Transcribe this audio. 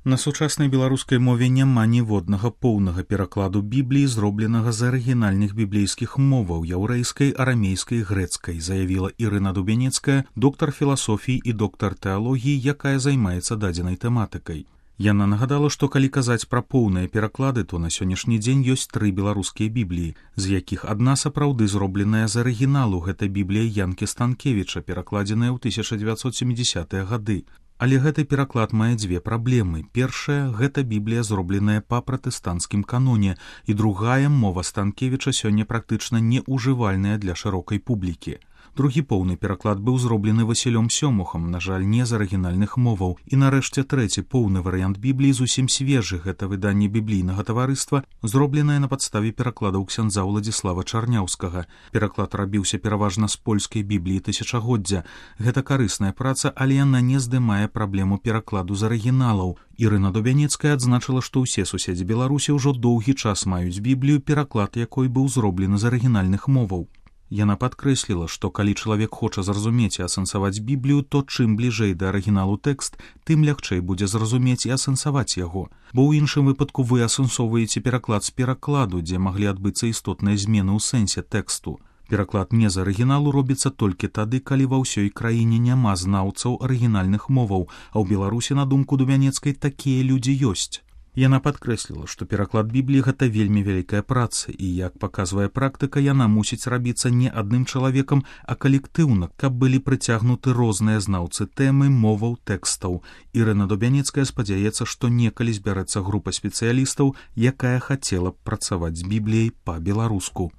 На сучаснай беларускай мове няма ніводнага поўнага перакладу Бібліі, зробленага з арыгінальных біблейскіх моваў яўрэйскай, арамейскай, грэцкай, заявіла Ірына Дубянецкая, доктар філасофіі і доктар тэалогіі, якая займаецца дадзенай тэматыкай. Яна нагадала, што калі казаць пра поўныя пераклады, то на сённяшні дзень ёсць 3 беларускія бібліі, з якіх адна сапраўды зробленая з арыгіналу. Гэта біблія Янкі Станкевіча, перакладзеная ў 1970-е гады. Але гэты пераклад мае 2 праблемы. Першая – гэта біблія, зробленая па пратэстанцкім каноне, і другая – мова Станкевіча сёння практычна неўжывальная для шырокай публікі. Другі поўны пераклад быў зроблены Васілём Сёмухам, на жаль, не з арыгінальных моваў. І нарэшце трэці поўны варыянт Бібліі зусім свежы. Гэта выданне біблійнага таварыства, зробленае на падставе перакладаў ксяндза Ўладзіслава Чарняўскага. Пераклад рабіўся пераважна з польскай бібліі тысячагоддзя. Гэта карысная праца, але яна не здымае праблему перакладу з арыгіналаў. Ірына Дубянецкая адзначыла, што ўсе суседзі Беларусі ўжо доўгі час маюць біблію, пераклад якой быў зроблены з арыгінальных моваў. Яна падкрэсліла, што калі чалавек хоча зразумець і асэнсаваць Біблію, то чым бліжэй да арыгіналу тэкст, тым лягчэй будзе зразумець і асэнсаваць яго. Бо ў іншым выпадку вы асэнсоўваеце пераклад з перакладу, дзе маглі адбыцца істотныя змены ў сэнсе тэксту. Пераклад не з арыгіналу робіцца толькі тады, калі ва ўсёй краіне няма знаўцаў арыгінальных моваў, а ў Беларусі, на думку Дубянецкай, такія людзі ёсць. Яна падкрэсліла, што пераклад Бібліі – гэта вельмі вялікая праца, і, як паказвае практыка, яна мусіць рабіцца не адным чалавекам, а калектыўна, каб былі прыцягнуты розныя знаўцы тэмы, моваў, тэкстаў. Ірына Дубянецкая спадзяецца, што некалі збярэцца група спецыялістаў, якая хацела б працаваць з Бібліяй па-беларуску.